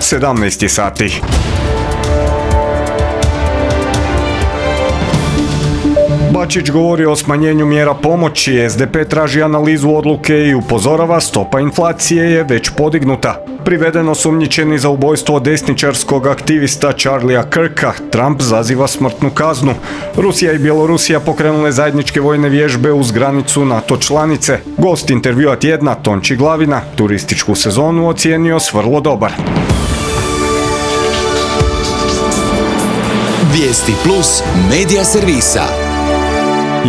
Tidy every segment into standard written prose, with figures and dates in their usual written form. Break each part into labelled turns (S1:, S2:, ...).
S1: 17 sati. Bačić govori o smanjenju mjera pomoći, SDP traži analizu odluke i upozorava stopa inflacije je već podignuta. Priveden osumnjičeni za ubojstvo desničarskog aktivista Charlie'a Kirka, Trump zaziva smrtnu kaznu. Rusija i Bjelorusija pokrenule zajedničke vojne vježbe uz granicu NATO članice. Gost intervjua tjedna Tonči Glavina turističku sezonu ocijenio s vrlo dobar.
S2: Vijesti plus medija servisa.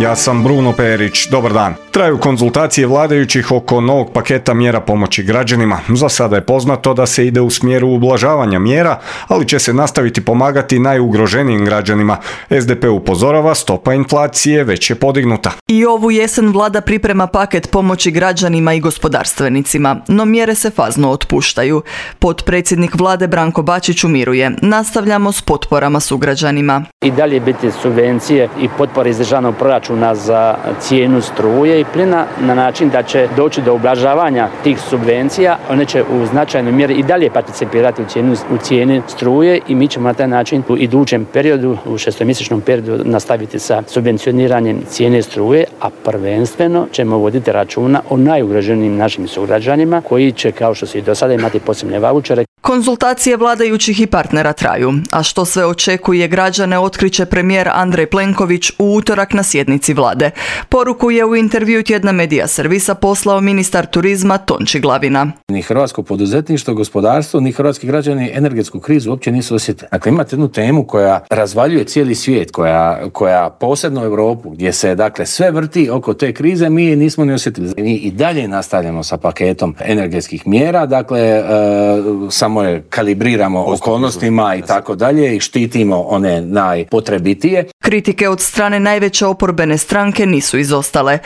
S1: Ja sam Bruno Perić, dobar dan. Traju konzultacije vladajućih oko novog paketa mjera pomoći građanima. Za sada je poznato da se ide u smjeru ublažavanja mjera, ali će se nastaviti pomagati najugroženijim građanima. SDP upozorava, stopa inflacije već je podignuta.
S3: I ovu jesen vlada priprema paket pomoći građanima i gospodarstvenicima, no mjere se fazno otpuštaju. Potpredsjednik vlade Branko Bačić umiruje. Nastavljamo s potporama sugrađanima.
S4: I dalje biti subvencije i potpore iz državnog proračuna za cijenu struje i plina na način da će doći do ublažavanja tih subvencija. One će u značajnoj mjeri i dalje participirati u cijeni struje i mi ćemo na taj način u idućem periodu, u šestomjesečnom periodu nastaviti sa subvencioniranjem cijene struje, a prvenstveno ćemo voditi računa o najugroženijim našim sugrađanima koji će, kao što se i do sada, imati posebne vaučere.
S3: Konzultacije vladajućih i partnera traju, a što sve očekuje građane otkriće premijer Andrej Plenković u utorak na sjednici vlade. Poruku je u intervju tjedna medija servisa poslao ministar turizma Tonči Glavina.
S5: Ni hrvatsko poduzetništvo, gospodarstvo, ni hrvatski građani energetsku krizu uopće nisu osjetili. Dakle, imate jednu temu koja razvaljuje cijeli svijet, koja posebno Europu, gdje se dakle sve vrti oko te krize, mi nismo ni osjetili. Mi i dalje nastavljamo sa paketom energetskih mjera, dakle samo je kalibriramo okolnostima i tako dalje i štitimo one najpotrebitije.
S3: Kritike od strane najveće oporbene stranke nisu izostale.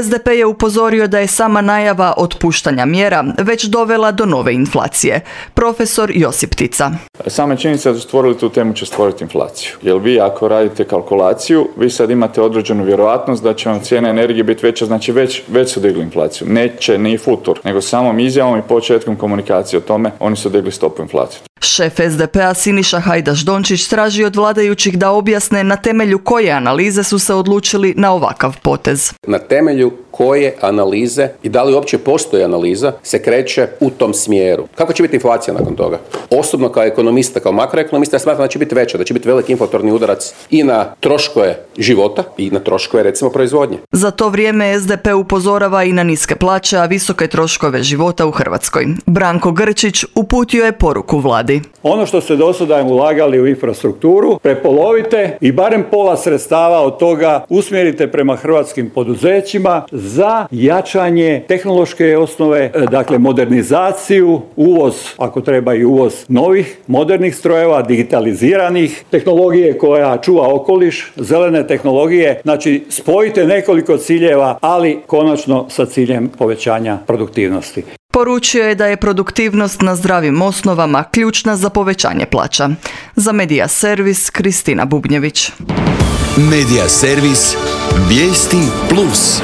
S3: SDP je upozorio da je sama najava otpuštanja mjera već dovela do nove inflacije. Profesor Josip Tica.
S6: Sama činjenica da su stvorili tu temu će stvoriti inflaciju. Jer vi ako radite kalkulaciju, vi sad imate određenu vjerojatnost da će vam cijena energije biti veća, znači već su digli inflaciju. Neće ni futur, nego samom izjavom i početkom komunikacije o tome oni su digli stopu inflacije.
S3: Šef SDP-a Siniša Hajdaš-Dončić traži od vladajućih da objasne na temelju koje analize su se odlučili na ovakav potez.
S7: Na temelju koje analize i da li uopće postoji analiza se kreće u tom smjeru. Kako će biti inflacija nakon toga? Osobno kao ekonomista, kao makroekonomista, ja smatram da će biti veća, da će biti veliki inflatorni udarac i na troškove života i na troškove recimo proizvodnje.
S3: Za to vrijeme SDP upozorava i na niske plaće, a visoke troškove života u Hrvatskoj. Branko Grčić uputio je poruku vladi.
S8: Ono što ste do sada ulagali u infrastrukturu, prepolovite i barem pola sredstava od toga usmjerite prema hrvatskim poduzećima za jačanje tehnološke osnove, dakle modernizaciju, uvoz, ako treba i uvoz novih, modernih strojeva, digitaliziranih, tehnologije koja čuva okoliš, zelene tehnologije, znači spojite nekoliko ciljeva, ali konačno sa ciljem povećanja produktivnosti.
S3: Poručio je da je produktivnost na zdravim osnovama ključna za povećanje plaća. Za Medija servis Kristina Bubnjević.
S2: Medija servis Vijesti plus.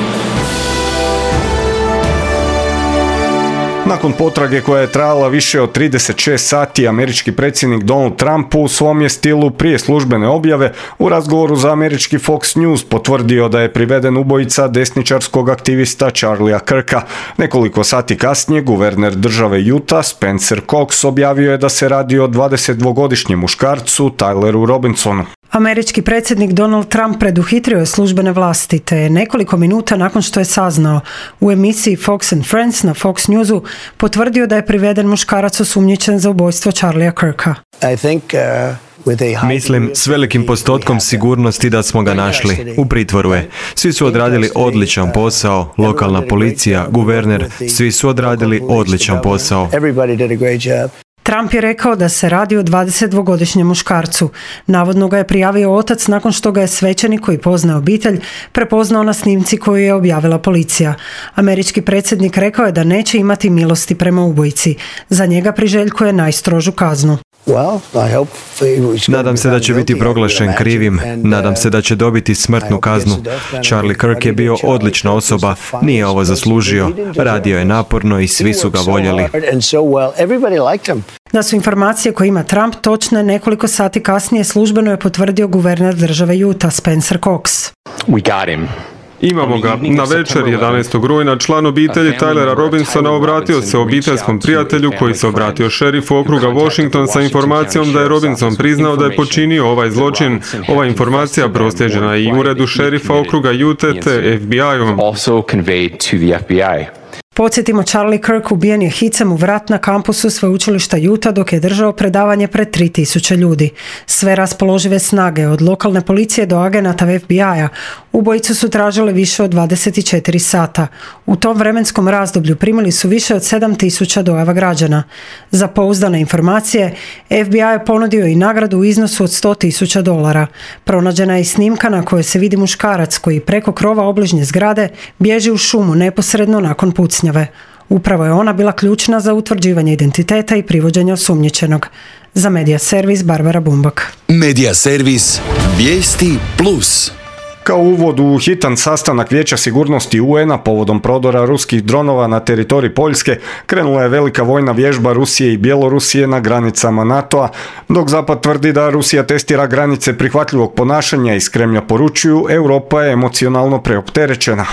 S1: Nakon potrage koja je trajala više od 36 sati, američki predsjednik Donald Trump u svom je stilu prije službene objave u razgovoru za američki Fox News potvrdio da je priveden ubojica desničarskog aktivista Charlie'a Kirka. Nekoliko sati kasnije guverner države Utah Spencer Cox objavio je da se radi o 22-godišnjem muškarcu Tyleru Robinsonu.
S9: Američki predsjednik Donald Trump preduhitrio je službene vlasti, te nekoliko minuta nakon što je saznao u emisiji Fox and Friends na Fox Newsu potvrdio da je priveden muškarac osumnjičen za ubojstvo Charlie'a Kirka.
S10: Mislim s velikim postotkom sigurnosti da smo ga našli. U pritvoru je. Svi su odradili odličan posao, lokalna policija, guverner, svi su odradili odličan posao.
S9: Trump je rekao da se radi o 22-godišnjem muškarcu. Navodno ga je prijavio otac nakon što ga je svećenik koji poznaje obitelj prepoznao na snimci koju je objavila policija. Američki predsjednik rekao je da neće imati milosti prema ubojici. Za njega priželjkuje najstrožu kaznu.
S10: Nadam se da će biti proglašen krivim, nadam se da će dobiti smrtnu kaznu. Charlie Kirk je bio odlična osoba, nije ovo zaslužio, radio je naporno i svi su ga voljeli.
S9: Da su informacije koje ima Trump točne, nekoliko sati kasnije službeno je potvrdio guverner države Utah Spencer Cox.
S11: Imamo ga. Na večer 11. rujna član obitelji Tylera Robinsona obratio se obiteljskom prijatelju koji se obratio šerifu okruga Washington sa informacijom da je Robinson priznao da je počinio ovaj zločin. Ova informacija proslijeđena je i uredu šerifa okruga Utah te FBI-u.
S9: Podsjetimo, Charlie Kirk ubijen je hicem u vrat na kampusu sveučilišta Utah dok je držao predavanje pred 3000 ljudi. Sve raspoložive snage, od lokalne policije do agenata FBI-a, ubojicu su tražile više od 24 sata. U tom vremenskom razdoblju primili su više od 7000 dojava građana. Za pouzdane informacije, FBI je ponudio i nagradu u iznosu od $100,000. Pronađena je i snimka na kojoj se vidi muškarac koji preko krova obližnje zgrade bježi u šumu neposredno nakon pucnjave. Upravo je ona bila ključna za utvrđivanje identiteta i privođenje osumnjičenog. Za Medija servis Barbara Bumbak.
S2: Medija servis Vijesti Plus.
S1: Kao uvod u hitan sastanak Vijeća sigurnosti UN-a povodom prodora ruskih dronova na teritorij Poljske, krenula je velika vojna vježba Rusije i Bjelorusije na granicama NATO-a, dok Zapad tvrdi da Rusija testira granice prihvatljivog ponašanja iz Kremlja poručuju, Europa je emocionalno preopterećena.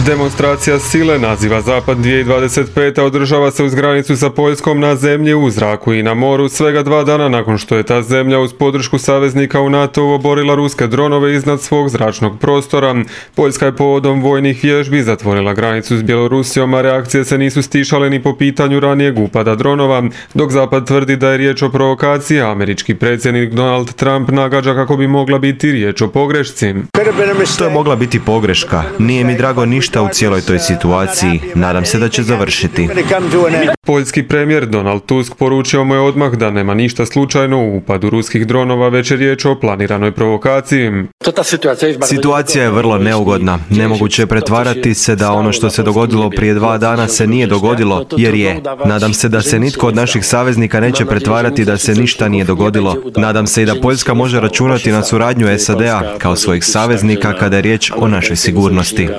S11: Demonstracija sile naziva Zapad 2025. održava se uz granicu sa Poljskom na zemlji, u zraku i na moru svega 2 dana nakon što je ta zemlja uz podršku saveznika u NATO oborila ruske dronove iznad svog zračnog prostora. Poljska je povodom vojnih vježbi zatvorila granicu s Bjelorusijom, a reakcije se nisu stišale ni po pitanju ranijeg upada dronova, dok Zapad tvrdi da je riječ o provokaciji, a američki predsjednik Donald Trump nagađa kako bi mogla biti riječ o pogrešci.
S10: To je mogla biti pogreška. Nije mi drago ništa u cijeloj toj situaciji. Nadam se da će završiti.
S11: Poljski premijer Donald Tusk poručio mu je odmah da nema ništa slučajno u upadu ruskih dronova, već je riječ o planiranoj provokaciji.
S10: Situacija je vrlo neugodna. Nemoguće je pretvarati se da ono što se dogodilo prije 2 dana se nije dogodilo, jer je. Nadam se da se nitko od naših saveznika neće pretvarati da se ništa nije dogodilo. Nadam se i da Poljska može računati na suradnju SAD-a kao svojih saveznika kada je riječ o našoj sigurnosti.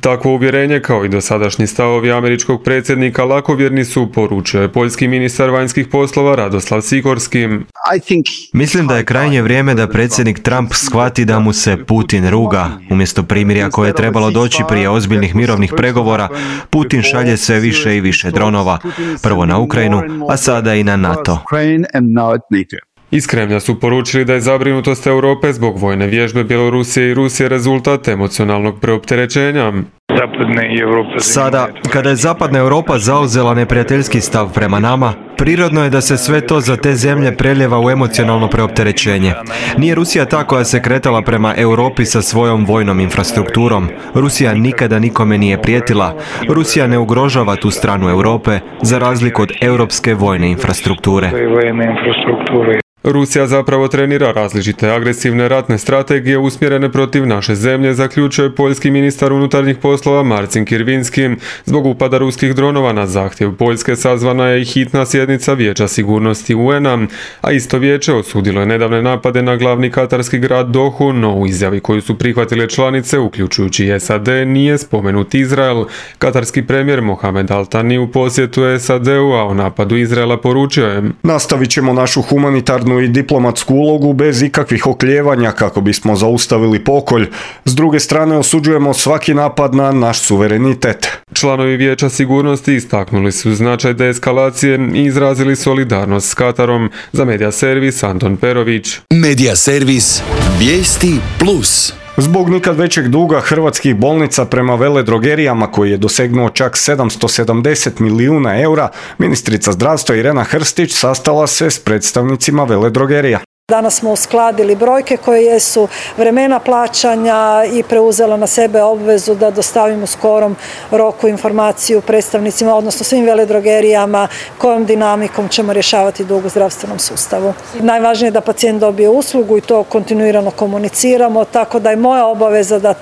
S11: Takvo uvjerenje, kao i dosadašnji stavovi američkog predsjednika, lakovjerni su, poručio je poljski ministar vanjskih poslova Radoslav Sikorski.
S10: Mislim da je krajnje vrijeme da predsjednik Trump shvati da mu se Putin ruga. Umjesto primirja koje je trebalo doći prije ozbiljnih mirovnih pregovora, Putin šalje sve više i više dronova. Prvo na Ukrajinu, a sada i na NATO.
S11: Iz Kremlja su poručili da je zabrinutost Europe zbog vojne vježbe Bjelorusije i Rusije rezultat emocionalnog preopterećenja.
S10: Sada, kada je Zapadna Europa zauzela neprijateljski stav prema nama, prirodno je da se sve to za te zemlje preljeva u emocionalno preopterećenje. Nije Rusija ta koja se kretala prema Europi sa svojom vojnom infrastrukturom. Rusija nikada nikome nije prijetila. Rusija ne ugrožava tu stranu Europe, za razliku od europske vojne infrastrukture.
S11: Rusija zapravo trenira različite agresivne ratne strategije usmjerene protiv naše zemlje, zaključuje poljski ministar unutarnjih poslova Marcin Kirvinski. Zbog upada ruskih dronova na zahtjev Poljske sazvana je i hitna sjednica Vijeća sigurnosti UN-a, a isto vijeće osudilo je nedavne napade na glavni katarski grad Dohu, no u izjavi koju su prihvatile članice, uključujući i SAD, nije spomenut Izrael. Katarski premijer Mohamed Al Thani u posjetu SAD-u, a o napadu Izraela poručio je:
S1: Nastavit ćemo našu humanitarnu i diplomatsku ulogu bez ikakvih oklijevanja kako bismo zaustavili pokolj. S druge strane osuđujemo svaki napad na naš suverenitet.
S11: Članovi Vijeća sigurnosti istaknuli su značaj deeskalacije i izrazili solidarnost s Katarom. Za Medija servis Anton Perović.
S2: Medija servis Vijesti Plus.
S1: Zbog nikad većeg duga hrvatskih bolnica prema veledrogerijama koji je dosegnuo čak 770 milijuna eura, ministrica zdravstva Irena Hrstić sastala se s predstavnicima veledrogerija.
S12: Danas smo uskladili brojke koje jesu, vremena plaćanja i preuzela na sebe obvezu da dostavimo u skorom roku informaciju predstavnicima, odnosno svim veledrogerijama, kojom dinamikom ćemo rješavati dug u zdravstvenom sustavu. Najvažnije je da pacijent dobije uslugu i to kontinuirano komuniciramo, tako da je moja obaveza da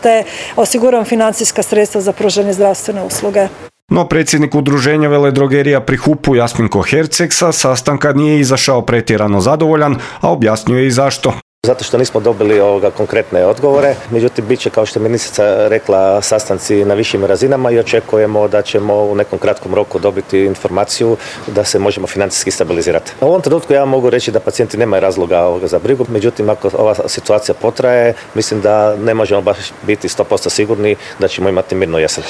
S12: osiguram financijska sredstva za pružanje zdravstvene usluge.
S1: No predsjednik udruženja veledrogerija pri HUP-u Jasminko Herceg sa sastanka nije izašao pretjerano zadovoljan, a objasnio je i zašto.
S13: Zato što nismo dobili konkretne odgovore, međutim bit će, kao što je ministrica rekla, sastanci na višim razinama i očekujemo da ćemo u nekom kratkom roku dobiti informaciju da se možemo financijski stabilizirati. U ovom trenutku ja mogu reći da pacijenti nemaju razloga za brigu, međutim ako ova situacija potraje, mislim da ne možemo baš biti 100% sigurni da ćemo imati mirnu jesen.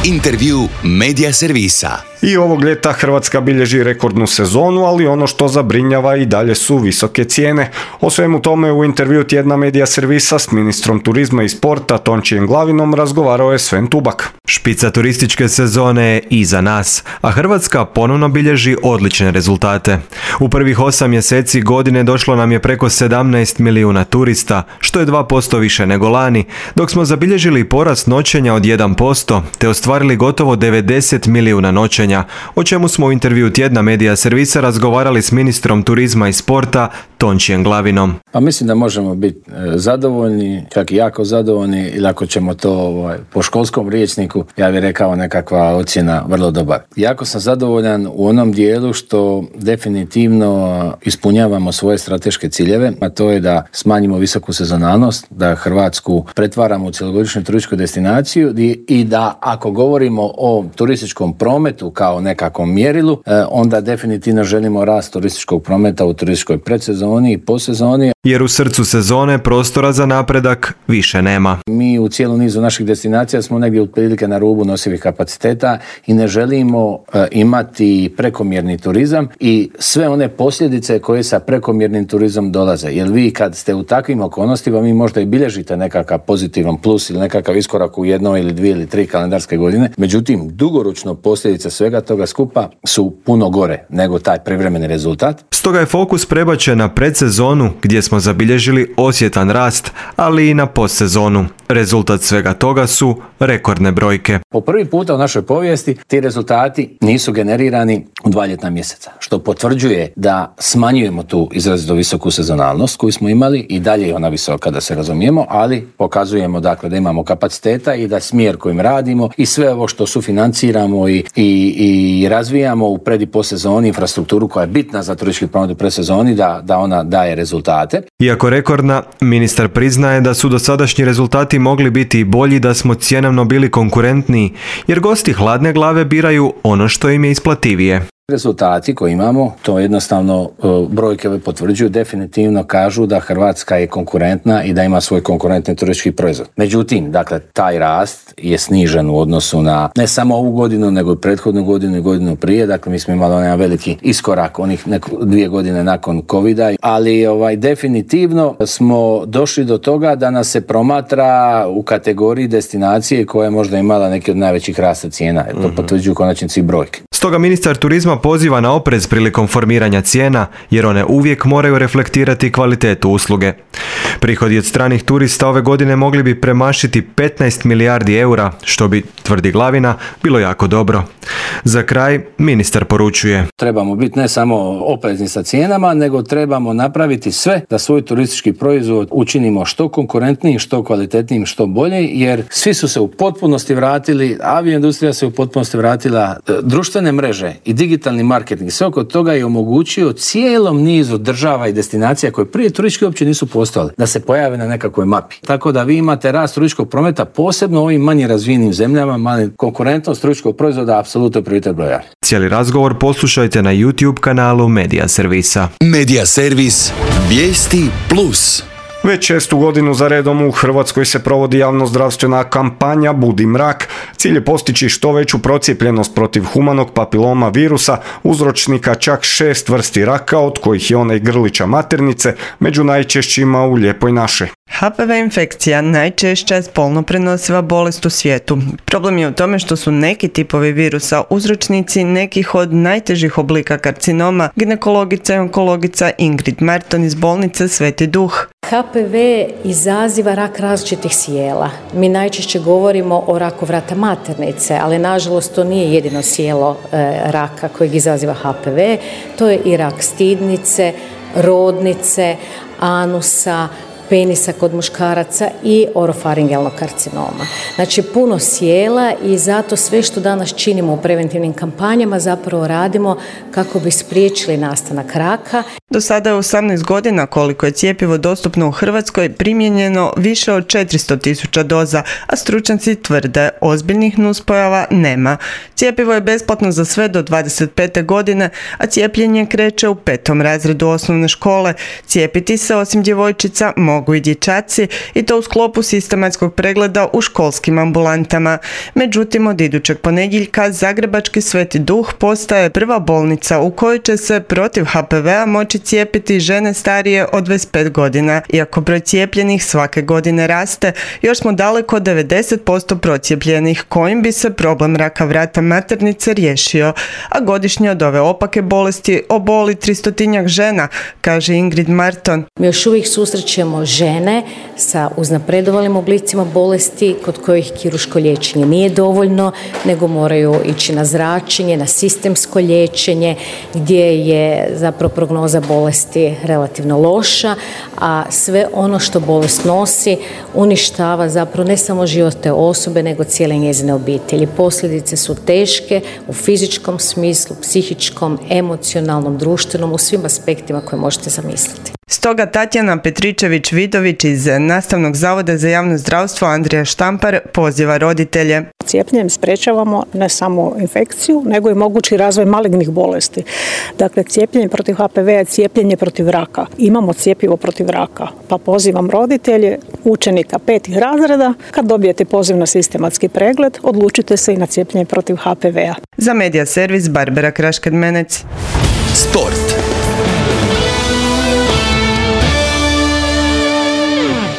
S2: Intervju Medija servisa.
S1: I ovog ljeta Hrvatska bilježi rekordnu sezonu, ali ono što zabrinjava i dalje su visoke cijene. O svemu tome u intervju tjedna Medija servisa s ministrom turizma i sporta Tončijem Glavinom razgovarao je Sven Tubak.
S10: Špica turističke sezone je iza nas, a Hrvatska ponovno bilježi odlične rezultate. U prvih 8 mjeseci godine došlo nam je preko 17 milijuna turista, što je 2% više nego lani, dok smo zabilježili porast noćenja od 1%, te ostvarili gotovo 90 milijuna noćenja, o čemu smo u intervju tjedna Medija servisa razgovarali s ministrom turizma i sporta Tončijem Glavinom.
S5: Pa mislim da možemo biti zadovoljni, čak i jako zadovoljni, ili ako ćemo to po školskom rječniku, ja bih rekao nekakva ocjena vrlo dobar. Jako sam zadovoljan u onom dijelu što definitivno ispunjavamo svoje strateške ciljeve, a to je da smanjimo visoku sezonalnost, da Hrvatsku pretvaramo u cjelogodišnju turističku destinaciju i da ako govorimo o turističkom prometu kao nekakvom mjerilu, onda definitivno želimo rast turističkog prometa u turističkoj predsezoni i posezoni.
S10: Jer u srcu sezone prostora za napredak više nema.
S5: Mi u cijelom nizu naših destinacija smo negdje otprilike na rubu nosivih kapaciteta i ne želimo imati prekomjerni turizam i sve one posljedice koje sa prekomjernim turizmom dolaze. Jer vi kad ste u takvim okolnostima, vi možda i bilježite nekakav pozitivan plus ili nekakav iskorak u 1 ili 2 ili 3 kalendarske godine. Međutim, dugoročno posljedice svega toga skupa su puno gore nego taj privremeni rezultat.
S10: Stoga je fokus prebačen na predsezonu gdje smo zabilježili osjetan rast, ali i na postsezonu. Rezultat svega toga su rekordne brojke.
S5: Po prvi puta u našoj povijesti ti rezultati nisu generirani u 2 ljetna mjeseca, što potvrđuje da smanjujemo tu izrazito visoku sezonalnost koju smo imali i dalje je ona visoka da se razumijemo, ali pokazujemo dakle da imamo kapaciteta i da smjer kojim radimo i sve ovo što sufinanciramo i razvijamo u pred i postsezoni, infrastrukturu koja je bitna za turistički promet u predsezoni, da ona daje rezultate.
S10: Iako rekordna, ministar priznaje da su dosadašnji rezultati mogli biti i bolji da smo cjenovno bili konkurentniji, jer gosti hladne glave biraju ono što im je isplativije.
S5: Rezultati koje imamo, to jednostavno brojke potvrđuju, definitivno kažu da Hrvatska je konkurentna i da ima svoj konkurentni turistički proizvod. Međutim, dakle, taj rast je snižen u odnosu na ne samo ovu godinu, nego i prethodnu godinu i godinu prije. Dakle, mi smo imali onaj veliki iskorak onih 2 godine nakon covida, ali definitivno smo došli do toga da nas se promatra u kategoriji destinacije koja je možda imala neki od najvećih rasta cijena. To potvrđuju konačnici brojke.
S10: Stoga ministar turizma poziva na oprez prilikom formiranja cijena, jer one uvijek moraju reflektirati kvalitetu usluge. Prihodi od stranih turista ove godine mogli bi premašiti 15 milijardi eura, što bi, tvrdi Glavina, bilo jako dobro. Za kraj, ministar poručuje:
S5: trebamo biti ne samo oprezni sa cijenama, nego trebamo napraviti sve da svoj turistički proizvod učinimo što konkurentnijim, što kvalitetnijim, što bolje, jer svi su se u potpunosti vratili, avioindustrija se u potpunosti vratila, društvene mreže i digitalni marketing, sve oko toga je omogućio cijelom nizu država i destinacija koje prije turistički uopće nisu postojale, da se pojave na nekakvoj mapi. Tako da vi imate rast turističkog prometa, posebno u ovim manje razvijenim zemljama, mali konkurentnost turističkog proizvoda apsolutno prioritet broj 1.
S10: Cijeli razgovor poslušajte na YouTube kanalu Medija servisa.
S2: Medija servis Vijesti Plus.
S1: Već 6. godinu za redom u Hrvatskoj se provodi javnozdravstvena kampanja Budi mrak. Cilj je postići što veću procijepljenost protiv humanog papiloma virusa, uzročnika čak 6 vrsti raka, od kojih je onaj grlića maternice, među najčešćima u Lijepoj našoj.
S14: HPV infekcija najčešća je spolno prenosiva bolest u svijetu. Problem je u tome što su neki tipovi virusa uzročnici nekih od najtežih oblika karcinoma, ginekologica i onkologica Ingrid Merton iz bolnice Sveti Duh.
S15: HPV izaziva rak različitih sjela. Mi najčešće govorimo o raku vrata maternice, ali nažalost to nije jedino sjelo raka kojeg izaziva HPV. To je i rak stidnice, rodnice, anusa, penisa kod muškaraca i orofaringelnog karcinoma. Znači puno sjela i zato sve što danas činimo u preventivnim kampanjama zapravo radimo kako bi spriječili nastanak raka.
S14: Do sada je 18 godina koliko je cjepivo dostupno u Hrvatskoj primijenjeno više od 400.000 doza, a stručnjaci tvrde ozbiljnih nuspojava nema. Cjepivo je besplatno za sve do 25. godine, a cijepljenje kreće u 5. razredu osnovne škole. Cijepiti se osim djevojčica mogu i dječaci i to u sklopu sistematskog pregleda u školskim ambulantama. Međutim, od idućeg ponedjeljka Zagrebački Sveti Duh postaje prva bolnica u kojoj će se protiv HPV-a moći cijepiti žene starije od 25 godina. Iako broj cijepljenih svake godine raste, još smo daleko od 90% procijepljenih kojim bi se problem raka vrata maternice riješio, a godišnje od ove opake bolesti oboli 300 žena, kaže Ingrid Marton.
S15: Mi još uvijek susrećemo žene sa uznapredovalim oblicima bolesti kod kojih kirurško liječenje nije dovoljno, nego moraju ići na zračenje, na sistemsko liječenje gdje je zapravo prognoza bolesti relativno loša, a sve ono što bolest nosi uništava zapravo ne samo život te osobe, nego cijele njezine obitelji. Posljedice su teške u fizičkom smislu, psihičkom, emocionalnom, društvenom, u svim aspektima koje možete zamisliti.
S14: Stoga Tatjana Petričević-Vidović iz Nastavnog zavoda za javno zdravstvo Andrija Štampar poziva roditelje.
S16: Cijepljenjem sprečavamo ne samo infekciju, nego i mogući razvoj malignih bolesti. Dakle, cijepljenje protiv HPV je cijepljenje protiv raka. Imamo cjepivo protiv raka, pa pozivam roditelje, učenika 5. razreda, kad dobijete poziv na sistematski pregled, odlučite se i na cijepljenje protiv HPV-a.
S14: Za Medija servis Barbara Kraškad-Menec.
S2: Sport.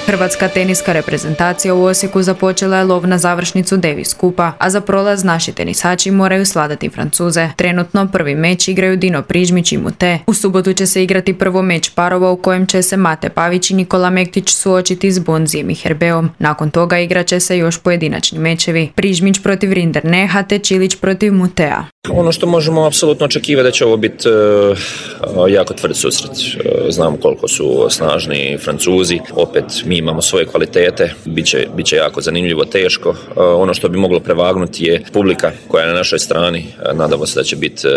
S17: Hrvatska teniska reprezentacija u Osijeku započela je lov na završnicu Davis Kupa, a za prolaz naši tenisači moraju svladati Francuze. Trenutno prvi meč igraju Dino Prižmić i Mute. U subotu će se igrati prvo meč parova u kojem će se Mate Pavić i Nikola Mektić suočiti s Bonzijem i Herbeom. Nakon toga igrat će se još pojedinačni mečevi. Prižmić protiv Rinderneha te Čilić protiv Mutea.
S18: Ono što možemo apsolutno očekivati da će ovo biti jako tvrd susret. Znamo koliko su snažni Francuzi, opet mi imamo svoje kvalitete, bit će jako zanimljivo, teško. Ono što bi moglo prevagnuti je publika koja je na našoj strani. Nadamo se da će biti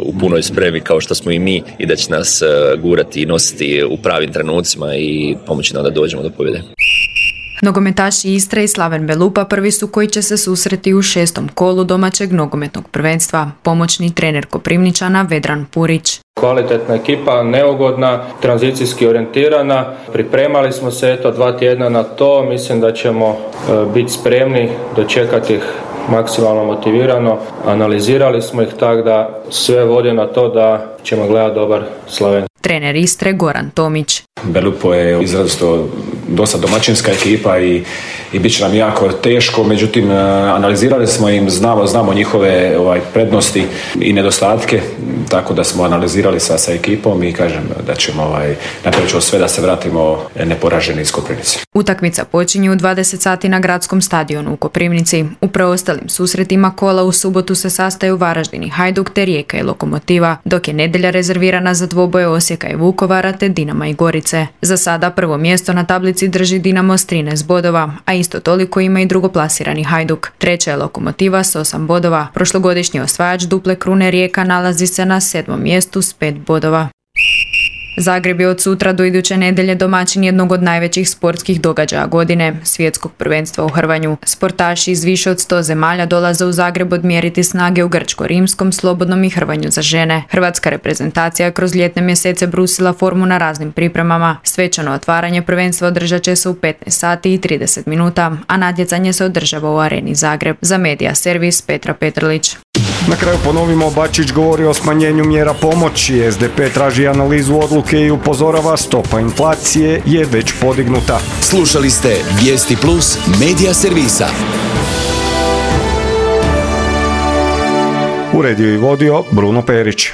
S18: u punoj spremi kao što smo i mi i da će nas gurati i nositi u pravim trenucima i pomoći nam da dođemo do pobjede.
S17: Nogometaši Istre i Slaven Belupa prvi su koji će se susreti u 6. kolu domaćeg nogometnog prvenstva. Pomoćni trener Koprivničana Vedran Purić.
S19: Kvalitetna ekipa, neugodna, tranzicijski orijentirana. Pripremali smo se 2 tjedna na to. Mislim da ćemo biti spremni dočekati ih maksimalno motivirano. Analizirali smo ih tako da sve vodi na to da ćemo gledati dobar Slaven.
S17: Trener Istre Goran Tomić.
S20: Belupo je izrazito dosta domaćinska ekipa i bit će nam jako teško, međutim analizirali smo im, znamo njihove prednosti i nedostatke, tako da smo analizirali sa ekipom i kažem da ćemo napraviti sve da se vratimo neporaženi iz Koprivnice.
S17: Utakmica počinje u 20 sati na gradskom stadionu u Koprivnici. U preostalim susretima kola u subotu se sastaju Varaždin i Hajduk te Rijeka i Lokomotiva, dok je nedjelja rezervirana za dvoboje Osijeka i Vukovara te Dinama i Gorice. Za sada prvo mjesto na tablici drži Dinamo s 13 bodova, a isto toliko ima i drugoplasirani Hajduk. Treća je Lokomotiva s 8 bodova. Prošlogodišnji osvajač duple krune Rijeka nalazi se na 7. mjestu s 5 bodova. Zagreb je od sutra do iduće nedjelje domaćin jednog od najvećih sportskih događaja godine, svjetskog prvenstva u hrvanju. Sportaši iz više od 100 zemalja dolaze u Zagreb odmjeriti snage u grčko-rimskom, slobodnom i hrvanju za žene. Hrvatska reprezentacija je kroz ljetne mjesece brusila formu na raznim pripremama. Svečano otvaranje prvenstva održat će se u 15 sati i 30 minuta, a natjecanje se održava u Areni Zagreb. Za Medija servis Petra Petrlić.
S1: Na kraju ponovimo, Bačić govori o smanjenju mjera pomoći, SDP traži analizu odluke i upozorava stopa inflacije je već podignuta.
S2: Slušali ste Vijesti Plus Medija servisa.
S1: Uredio i vodio Bruno Perić.